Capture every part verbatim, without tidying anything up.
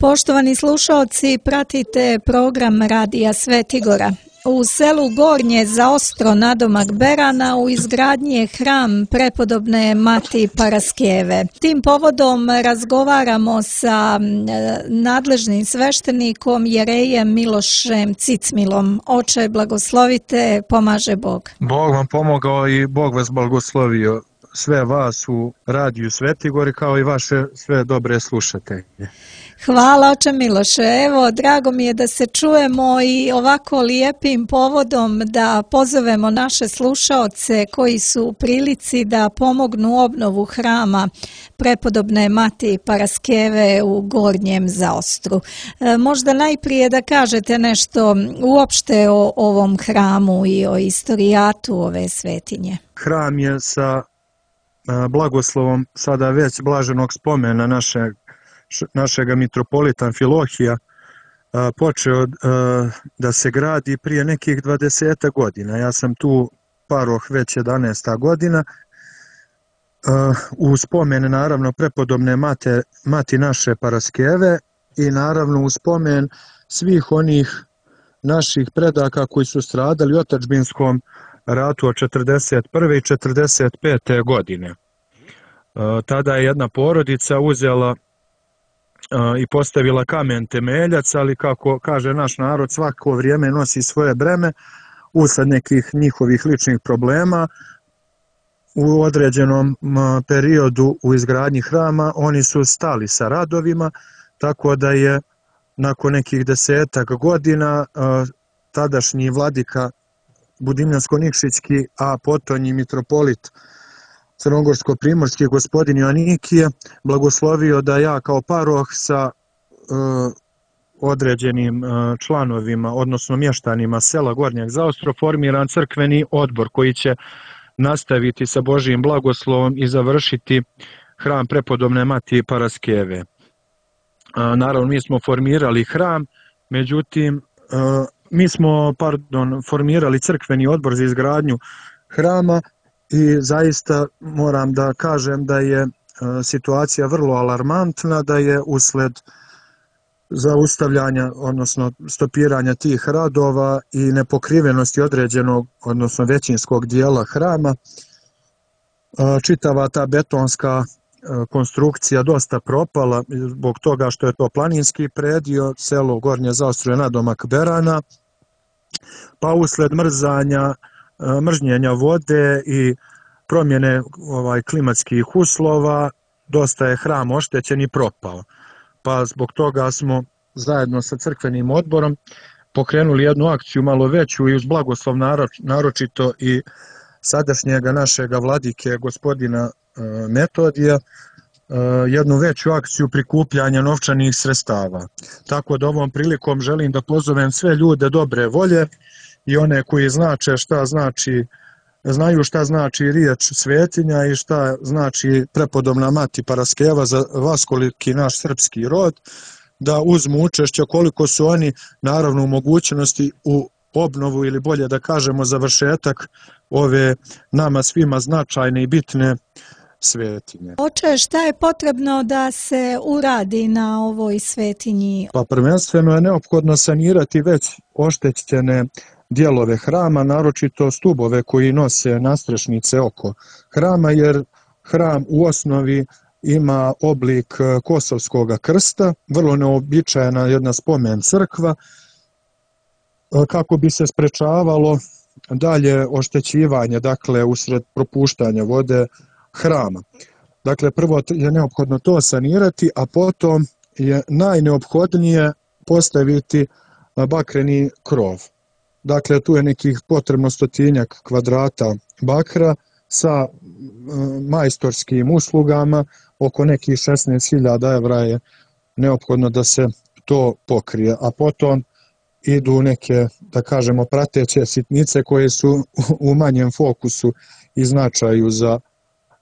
Poštovani slušaoci, pratite program Radija Svetigora. U selu Gornje Zaostro nadomak Berana u izgradnji je hram prepodobne Mati Paraskeve. Tim povodom razgovaramo sa nadležnim sveštenikom Jerejem Milošem Cicmilom. Oče, blagoslovite, pomaže Bog. Bog vam pomogao i Bog vas blagoslovio, sve vas u Radiju Svetigori kao i vaše sve dobre slušatelje. Hvala, oče Miloše. Evo, drago mi je da se čujemo i ovako lijepim povodom da pozovemo naše slušaoce koji su u prilici da pomognu obnovu hrama prepodobne Mati Paraskeve u Gornjem Zaostru. E, možda najprije da kažete nešto uopšte o ovom hramu i o istorijatu ove svetinje. Hram je sa blagoslovom sada već blaženog spomena našeg našega mitropolita Amfilohija počeo da se gradi prije nekih dvadeset godina. Ja sam tu paroh već jedanaesta godina. U spomen naravno prepodobne mate, mati naše Paraskeve i naravno u spomen svih onih naših predaka koji su stradali u otadžbinskom ratu od četrdeset prve i četrdeset pete godine. Tada je jedna porodica uzela i postavila kamen temeljac, ali kako kaže naš narod, svako vrijeme nosi svoje breme. Usled nekih njihovih ličnih problema u određenom periodu u izgradnji hrama oni su stali sa radovima, tako da je nakon nekih desetak godina tadašnji vladika Budimljansko-Nikšićki, a potonji mitropolit Crnogorsko-primorski gospodin Joanikije blagoslovio da ja kao paroh sa uh, određenim uh, članovima, odnosno mještanima sela Gornjeg Zaostro formiran crkveni odbor koji će nastaviti sa Božijim blagoslovom i završiti hram prepodobne Mati Paraskeve. Uh, naravno, mi smo formirali hram, međutim, uh, mi smo, pardon, formirali crkveni odbor za izgradnju hrama. I zaista moram da kažem da je situacija vrlo alarmantna, da je usled zaustavljanja, odnosno stopiranja tih radova i nepokrivenosti određenog, odnosno većinskog dijela hrama, čitava ta betonska konstrukcija dosta propala zbog toga što je to planinski predio, selo Gornje Zaostro je nadomak Berana, pa usled mrzanja mržnjenja vode i promjene ovaj, klimatskih uslova, dosta je hram oštećen i propao. Pa zbog toga smo zajedno sa crkvenim odborom pokrenuli jednu akciju malo veću i uz blagoslov naročito i sadašnjega našega vladike gospodina e, Metodija, e, jednu veću akciju prikupljanja novčanih sredstava. Tako da ovom prilikom želim da pozovem sve ljude dobre volje i one koji znače šta znači, znaju šta znači riječ svetinja i šta znači prepodobna Mati Paraskeva za vaskoliki naš srpski rod, da uzmu učešće koliko su oni naravno u mogućnosti u obnovu ili bolje da kažemo završetak ove nama svima značajne i bitne svetinje. Oče, šta je potrebno da se uradi na ovoj svetinji? Pa prvenstveno je neophodno sanirati već oštećene dijelove hrama, naročito stubove koji nose nastrešnice oko hrama, jer hram u osnovi ima oblik kosovskog krsta, vrlo neobičajena jedna spomen crkva, kako bi se sprečavalo dalje oštećivanje, dakle, usred propuštanja vode hrama. Dakle, prvo je neophodno to sanirati, a potom je najneophodnije postaviti bakreni krov. Dakle, tu je nekih potrebno stotinjak kvadrata bakra sa majstorskim uslugama, oko nekih šesnaest hiljada evra je neophodno da se to pokrije, a potom idu neke, da kažemo, prateće sitnice koje su u manjem fokusu i značaju za,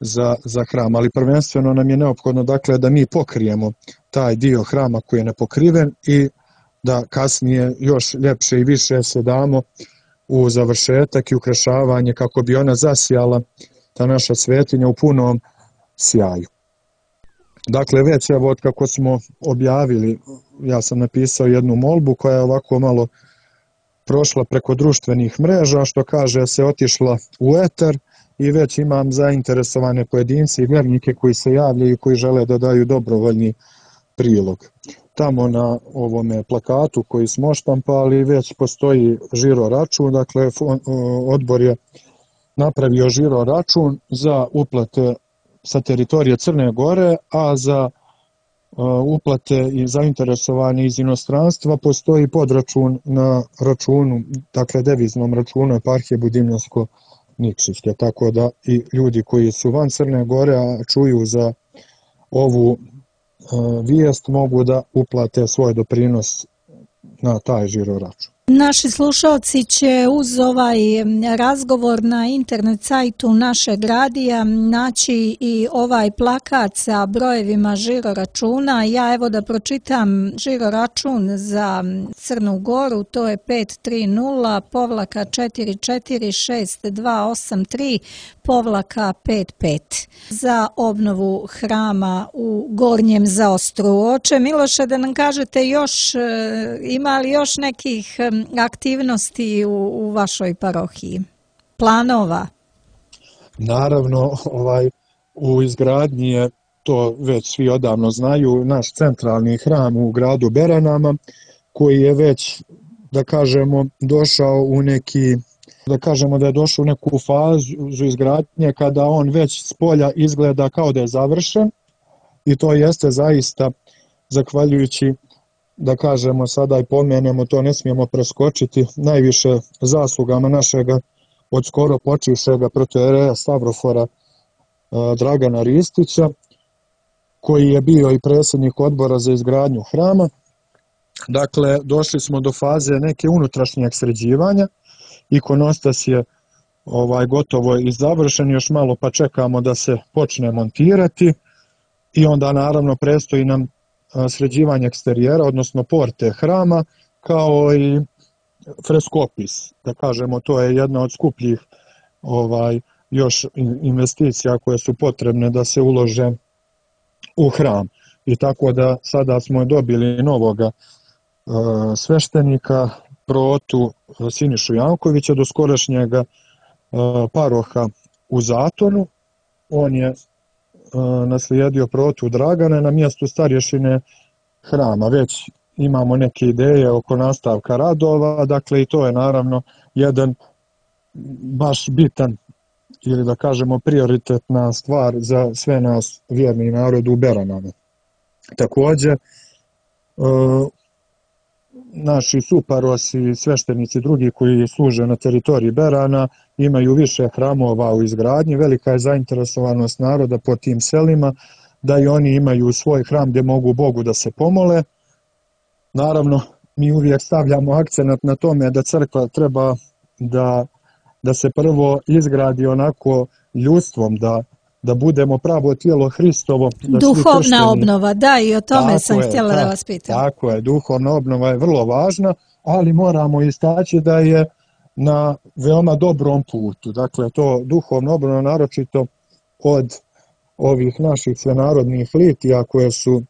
za, za hram. Ali prvenstveno nam je neophodno, dakle, da mi pokrijemo taj dio hrama koji je nepokriven i da kasnije još ljepše i više se damo u završetak i ukrašavanje kako bi ona zasijala, ta naša svetinja, u punom sjaju. Dakle, već evo od kako smo objavili, ja sam napisao jednu molbu koja je ovako malo prošla preko društvenih mreža, što kaže se otišla u eter i već imam zainteresovane pojedince i vjernike koji se javljaju i koji žele da daju dobrovoljni prilog. Tamo na ovome plakatu koji smo oštampali već postoji žiro račun, dakle odbor je napravio žiro račun za uplate sa teritorije Crne Gore, a za uplate i zainteresovani iz inostranstva postoji podračun na računu, dakle deviznom računu eparhije Budimljansko-Nikšićke, tako da i ljudi koji su van Crne Gore, a čuju za ovu vijest, mogu da uplate svoj doprinos na taj žiro račun. Naši slušalci će uz ovaj razgovor na internet sajtu našeg radija naći i ovaj plakat sa brojevima žiro računa. Ja evo da pročitam žiro račun za Crnu Goru, to je pet tri nula povlaka četiri četiri šest dva osam tri povlaka pet pet za obnovu hrama u Gornjem Zaostru. Oče Miloše, da nam kažete još, ima li još nekih aktivnosti u, u vašoj parohiji? Planova? Naravno, ovaj, u izgradnji je, to već svi odavno znaju, naš centralni hram u gradu Beranama, koji je već, da kažemo, došao u neki, da kažemo da je došao u neku fazu izgradnje kada on već s polja izgleda kao da je završen, i to jeste zaista zahvaljujući, da kažemo sada i pomenemo, to ne smijemo preskočiti, najviše zaslugama našega od skoro počivšega protoijereja Stavrofora Dragana Ristića, koji je bio i predsjednik odbora za izgradnju hrama. Dakle, došli smo do faze neke unutrašnjeg sređivanja, ikonostas je ovaj, gotovo i završen, još malo pa čekamo da se počne montirati i onda naravno predstoji nam sređivanje eksterijera, odnosno porte hrama, kao i freskopis. Da kažemo, to je jedna od skupljih ovaj, još investicija koje su potrebne da se ulože u hram. I tako da sada smo dobili novoga uh, sveštenika, protu Sinišu Jankovića, do skorašnjega uh, paroha u Zatonu. On je naslijedio protu Dragana na mjestu starješine hrama. Već imamo neke ideje oko nastavka radova, dakle i to je naravno jedan baš bitan, ili da kažemo prioritetna stvar za sve nas vjerni narod u Beranama. Također, naši suparosi, sveštenici drugi koji služe na teritoriji Berana imaju više hramova u izgradnji, velika je zainteresovanost naroda po tim selima da i oni imaju svoj hram gdje mogu Bogu da se pomole. Naravno, mi uvijek stavljamo akcenat na tome da crkva treba da, da se prvo izgradi onako ljudstvom, da da budemo pravo tijelo Hristovo. Da duhovna kršteni... obnova, da, i o tome tako sam je, htjela ta, da vas pitam. Tako je, duhovna obnova je vrlo važna, ali moramo istaći da je na veoma dobrom putu. Dakle, to duhovna obnova naročito od ovih naših svenarodnih litija koje su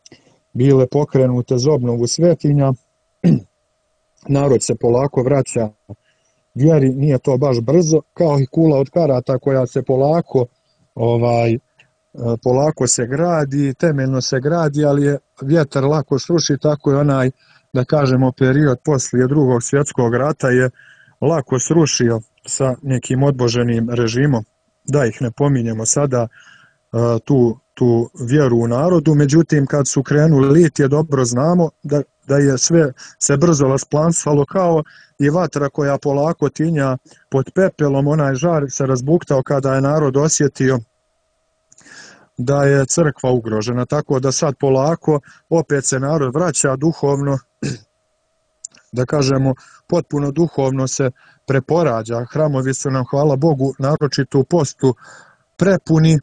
bile pokrenute za obnovu svetinja, narod se polako vraća vjeri, nije to baš brzo, kao i kula od karata koja se polako ovaj polako se gradi, temeljno se gradi, ali je vjetar lako sruši, tako je onaj, da kažemo, period poslije drugog svjetskog rata je lako srušio sa nekim odboženim režimom, da ih ne pominjemo sada, tu, tu vjeru u narodu. Međutim, kad su krenuli litije, dobro znamo da, da je sve se brzo rasplansalo, kao i vatra koja polako tinja pod pepelom, onaj žar se razbuktao kada je narod osjetio da je crkva ugrožena, tako da sad polako opet se narod vraća duhovno, da kažemo, potpuno duhovno se preporađa. Hramovi su nam, hvala Bogu, naročito u postu prepuni.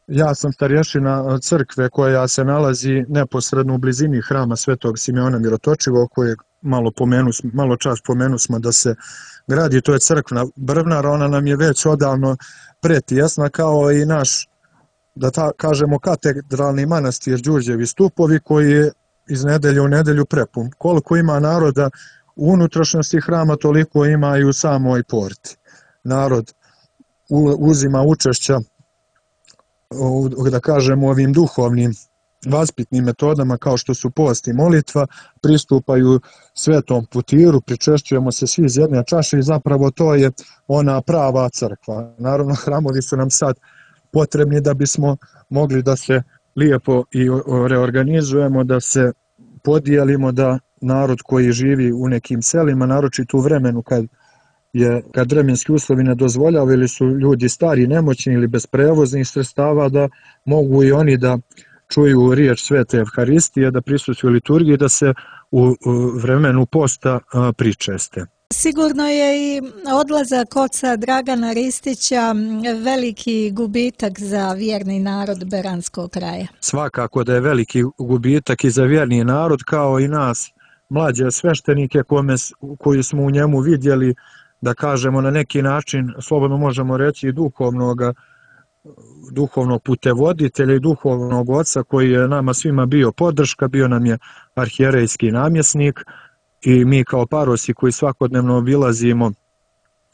Ja sam starješina crkve koja se nalazi neposredno u blizini hrama Svetog Simeona Mirotočivog, kojeg malo, pomenu, malo čas pomenu smo da se gradi, to je crkvena brvnara, ona nam je već odavno pretjesna, kao i naš da ta, kažemo, katedralni manastir Đurđevi stupovi koji je iz nedelje u nedelju prepun. Koliko ima naroda u unutrašnjosti hrama, toliko ima i u samoj porti. Narod uzima učešća, da kažemo, ovim duhovnim vaspitnim metodama kao što su post i molitva, pristupaju svetom putiru, pričešćujemo se svi iz jedne čaše i zapravo to je ona prava crkva. Naravno, hramovi su nam sad potrebni da bismo mogli da se lijepo i reorganizujemo, da se podijelimo, da narod koji živi u nekim selima, naročito u vremenu kad je, kad vremenski uslovi ne dozvoljavaju ili su ljudi stari, nemoćni ili bez prevoznih sredstava, da mogu i oni da čuju riječ Svete Evharistije, da prisustvuju liturgiji, da se u vremenu posta pričeste. Sigurno je i odlazak oca Dragana Ristića veliki gubitak za vjerni narod Beranskog kraja. Svakako da je veliki gubitak i za vjerni narod, kao i nas, mlađe sveštenike kome, koji smo u njemu vidjeli, da kažemo na neki način, slobodno možemo reći, duhovnog, duhovnog putevoditelja i duhovnog oca koji je nama svima bio podrška, bio nam je arhijerejski namjesnik i mi kao parosi koji svakodnevno obilazimo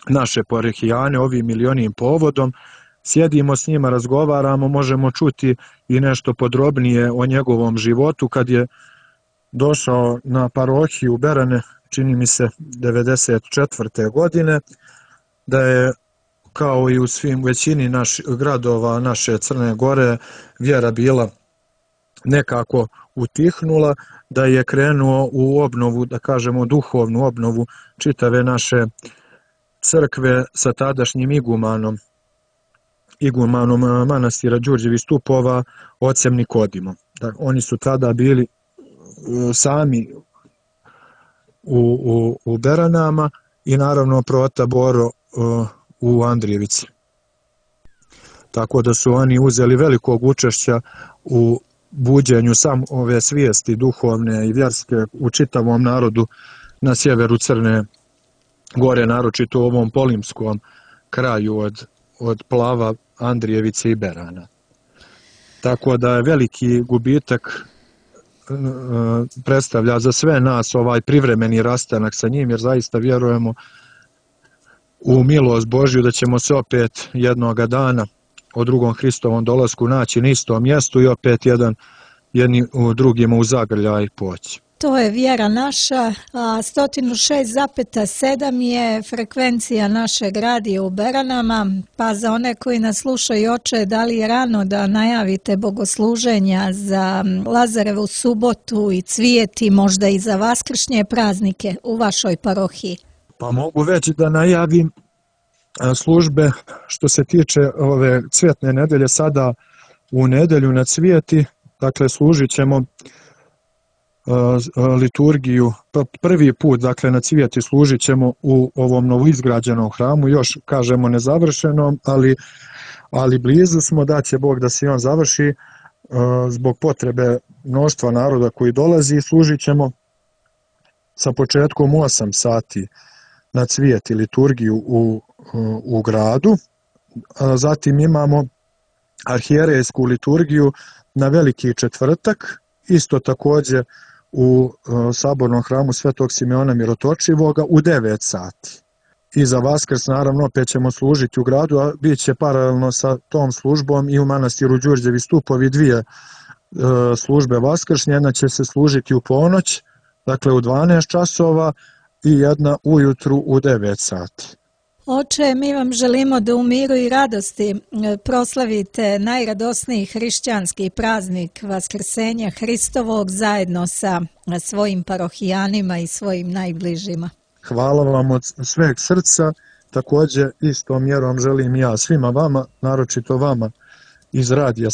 naše parohijane ovim ili onim povodom, sjedimo s njima, razgovaramo, možemo čuti i nešto podrobnije o njegovom životu. Kad je došao na parohiju Berane, čini mi se devedeset četvrte godine, da je kao i u svim većini naš, gradova naše Crne Gore vjera bila nekako utihnula, da je krenuo u obnovu, da kažemo duhovnu obnovu čitave naše crkve sa tadašnjim igumanom, igumanom manastira Đurđevih stupova, ocem Nikodimom. Da, oni su tada bili sami u, u, u Beranama i naravno prota Boro u Andrijevici. Tako da su oni uzeli velikog učešća u buđenju sam ove svijesti duhovne i vjerske u čitavom narodu na sjeveru Crne Gore, naročito u ovom polimskom kraju od, od Plava, Andrijevice i Berana. Tako da je veliki gubitak predstavlja za sve nas ovaj privremeni rastanak sa njim, jer zaista vjerujemo u milost Božju da ćemo se opet jednoga dana o drugom Hristovom dolasku naći na istom mjestu i opet jedan jedni u drugima u zagrljaj poći. To je vjera naša, a sto šest zarez sedam je frekvencija našeg radija u Beranama, pa za one koji nas slušaju, oče, da li je rano da najavite bogosluženja za Lazarevu subotu i cvijeti, možda i za vaskršnje praznike u vašoj parohiji? Pa mogu već da najavim službe što se tiče ove cvjetne nedelje. Sada u nedelju na cvijeti, dakle, služit ćemo liturgiju prvi put, dakle na cvijeti služit ćemo u ovom novoizgrađenom hramu, još kažemo nezavršenom, ali, ali blizu smo, da će Bog da se on završi zbog potrebe mnoštva naroda koji dolazi. Služit ćemo sa početkom u osam sati na cvijeti liturgiju u, u gradu. Zatim imamo arhijerejsku liturgiju na Veliki četvrtak, isto također u sabornom hramu Svetog Simeona Mirotočivoga u devet sati. I za Vaskrs naravno opet ćemo služiti u gradu, a bit će paralelno sa tom službom i u manastiru Đurđevi stupovi dvije e, službe vaskršnje. Jedna će se služiti u ponoć, dakle u dvanaest časova, i jedna ujutru u devet sati. Oče, mi vam želimo da u miru i radosti proslavite najradosniji hrišćanski praznik Vaskrsenja Hristovog zajedno sa svojim parohijanima i svojim najbližima. Hvala vam od sveg srca, također istom mjerom želim ja svima vama, naročito vama iz radija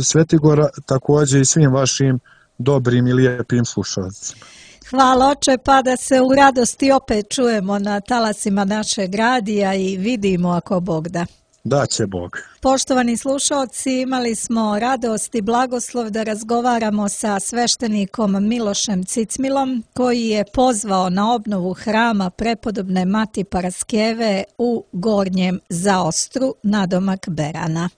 Svetigora, također i svim vašim dobrim i lijepim slušalcima. Hvala, oče, pa da se u radosti opet čujemo na talasima našeg radija i vidimo ako Bog da. Da će Bog. Poštovani slušalci, imali smo radost i blagoslov da razgovaramo sa sveštenikom Milošem Cicmilom, koji je pozvao na obnovu hrama prepodobne Mati Paraskeve u Gornjem Zaostru nadomak Berana.